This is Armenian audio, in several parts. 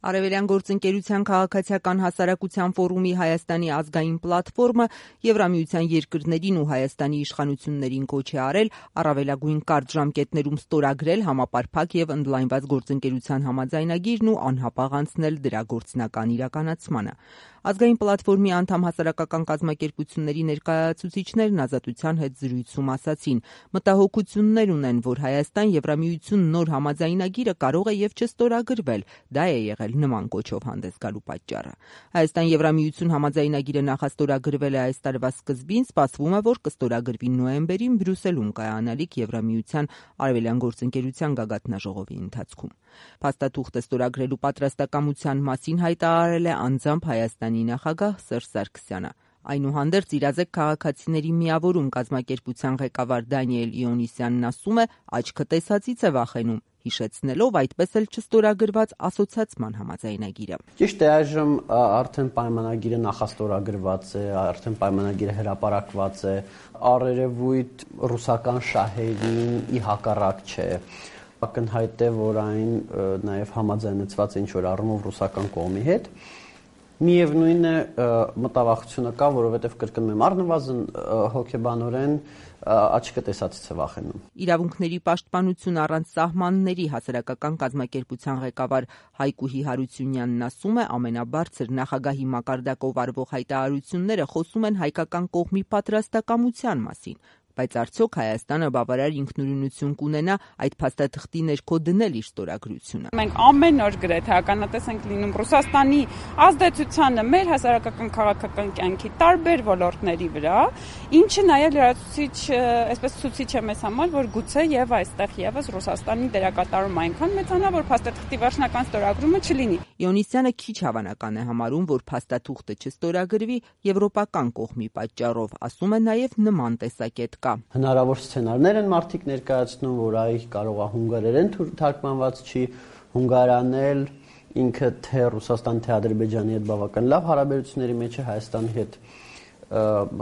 Արևելյան գործընկերության քաղաքացիական հասարակության ֆորումի Հայաստանի ազգային պլատֆորմը Եվրամիության երկրներին ու Հայաստանի իշխանություններին կոչ է արել առավելագույն կարճ ժամկետներում ստորագրել համապարփակ եւ ընդլայնված գործընկերության համաձայնագիրն ու անհապաղ անցնել դրա գործնական իրականացմանը։ Ազգային պլատֆորմի անդամ հասարակական կազմակերպությունների ներկայացուցիչներն Ազատության հետ զրույցում ասացին, մտահոգություններ ունեն, որ Հայաստան-Եվրամիություն նոր համաձայնագիրը կարող է եւ չստորագրվել, դա է եղել նման կոչով հանդես գալու պատճառը։ Հայաստան-Եվրամիություն համաձայնագիրը նախաստորագրվել է այս տարվա սկզբին, սպասվում է, որ կստորագրվի նոյեմբերին Բրյուսելում կայանալիք Եվրամիության արևելյան գործընկերության գագաթնաժողովի ընթացքում։ Փաստաթուղթը ստորագրելու պատրաստակամության մասին հայտարարել է անձամբ Հայաստանի նախագահ Սերժ Սարգսյանը։ Այնուհանդերձ իրազեկ քաղաքացիների միավորում կազմակերպության ղեկավար Դանիել Իոնիսյանն ասում է, աչքը տեսածից է վախենում, հիշեցնելով այդպես էլ չստորագրված ասոցիացիան համաձայնագիրը։ Ճիշտ է, այժմ արդեն պայմանագիրը նախաստորագրված է, արդեն պայմանագիրը հրապարակված է, առերևույթ ռուսական շահերին ի հակառակ չէ։ Ակնհայտ է, որ այն նաև համաձայնեցված է ինչ-որ առումով ռուսական կողմի հետ։ Միևնույն է, մտավախությունը կա, որովհետև կրկնում եմ, առնվազն հոգեբանորեն աչքը տեսածից է վախենում։ Իրավունքների պաշտպանություն առանց սահմանների հասարակական կազմակերպության ղեկավար Հայկուհի Հարությունյանն ասում է, ամենաբարձր նախագահի մակարդակով արվող հայտարարությունները խոսում են հայկական կողմի պատրաստակամության մասին։ Բայց արդյոք Հայաստանը բավարար ինքնուրույնություն կունենա այդ փաստաթղթի ներքո դնել իր ստորագրությունը։ Մենք ամեն օր գրեթե ականատես ենք լինում Ռուսաստանի ազդեցությանը մեր հասարակական քաղաքական կյանքի տարբեր ոլորտների վրա, ինչը նաև լրացուցիչ, այսպես ցուցիչ է մեզ համար, որ գուցե եւ այստեղ եւս Ռուսաստանի դերակատարումը այնքան մեծանա, որ փաստաթղթի վերջնական ստորագրումը չլինի։ Իոնիսյանը քիչ հավանական է համարում, որ փաստաթուղթը չստորագրվի եվրոպական կողմի պատճառով, ասում է նաև նման տեսակետ կա։ Հնարավոր սցենարներ են մարդիկ ներկայացնում, որ այ կարող է հունգարերեն թարգմանված չի, հունգարանել ինքը թե Ռուսաստան, թե Ադրբեջանի հետ բավական լավ հարաբերությունների մեջ է, Հայաստանի հետ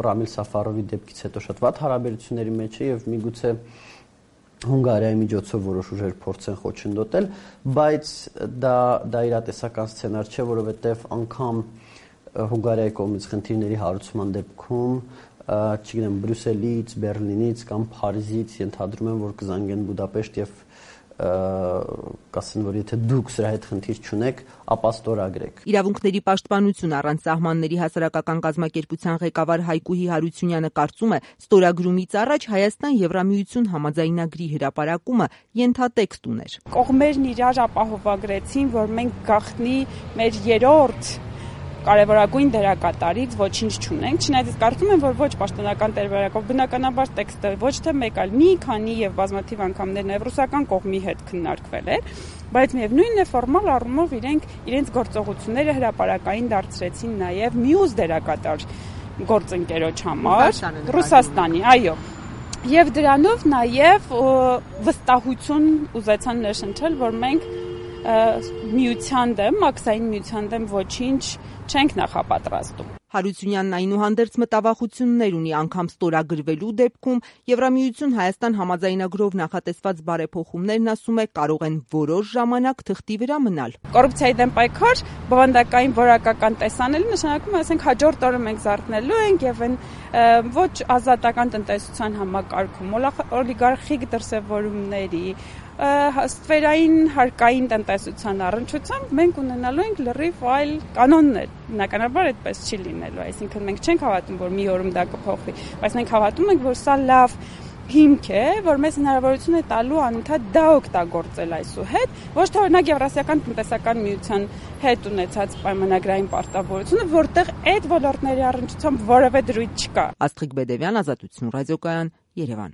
Ռամիլ Սաֆարովի դեպքից հետո շատ վատ հարաբերությունների մեջ է եւ միգուցե Հունգարիայի միջոցով որոշ ուժեր փորձեն խոչընդոտել, բայց դա իրատեսական սցենար չէ, որովհետեւ անգամ Հունգարիայի կողմից խնդիրների հարուցման դեպքում չգիտեմ Բրյուսելից, Բեռլինից կամ Փարիզից ենթադրում եմ, որ կզանգեն Բուդապեշտ եւ կասեն, որ եթե դուք սրա հետ խնդիր չունեք, ապա ստորագրեք։ Իրավունքների պաշտպանություն առանց սահմանների հասարակական կազմակերպության ղեկավար Հայկուհի Հարությունյանը կարծում է, ստորագրումից առաջ Հայաստան-Եվրամիություն համաձայնագրի հրապարակումը ենթատեքստ ուներ։ Կողմերն իրար ապահովագրեցին, որ մենք գաղտնի մեր երրորդ կարևորագույն դերակատարից ոչինչ չունենք, չնայած կարծում եմ, որ ոչ պաշտոնական տարբերակով բնականաբար տեքստը ոչ թե մեկ, այլ մի քանի եւ բազմաթիվ անգամներ նաեւ ռուսական կողմի հետ քննարկվել էր, բայց միևնույնն է ֆորմալ առումով իրենց գործողությունները հրապարակային դարձրեցին նաեւ մյուս դերակատար գործընկերոջ համար, Ռուսաստանի, այո։ Եվ դրանով նաեւ վստահություն ուզեցան ներշնչել, որ մենք միության դեմ, մաքսային միության դեմ ոչինչ չենք նախապատրաստում։ Հարությունյանն այնուհանդերձ մտավախություններ ունի անգամ ստորագրվելու դեպքում Եվրամիություն Հայաստան համաձայնագրով նախատեսված բարեփոխումներն ասում է կարող են որոշ ժամանակ թղթի վրա մնալ։ Կոռուպցիայի դեմ պայքար, բովանդակային որակական տեսանելի նշանակում է, ասենք հաջորդ օրը մենք զարթնելու ենք եւ այն ոչ ազատական տնտեսության համակարգում, օլիգարխիկ դրսևորումների ստվերային հարկային տնտեսության առնչությամբ մենք ունենալու ենք լրիվ այլ կանոններ։ Բնականաբար այդպես չի լինելու, այսինքն մենք չենք հավատում, որ մի օրում դա կփոխվի, բայց մենք հավատում ենք, որ սա լավ հիմք է, որ մեզ հնարավորություն է տալու անընդհատ դա օգտագործել այսուհետ, ոչ թե օրինակ Եվրասիական տնտեսական միության հետ ունեցած պայմանագրային պարտավորությունը, որտեղ այդ ոլորտների առնչությամբ որևէ դրույթ չկա։ Աստղիկ Բեդևյան, Ազատություն ռադիոկայան, Երևան։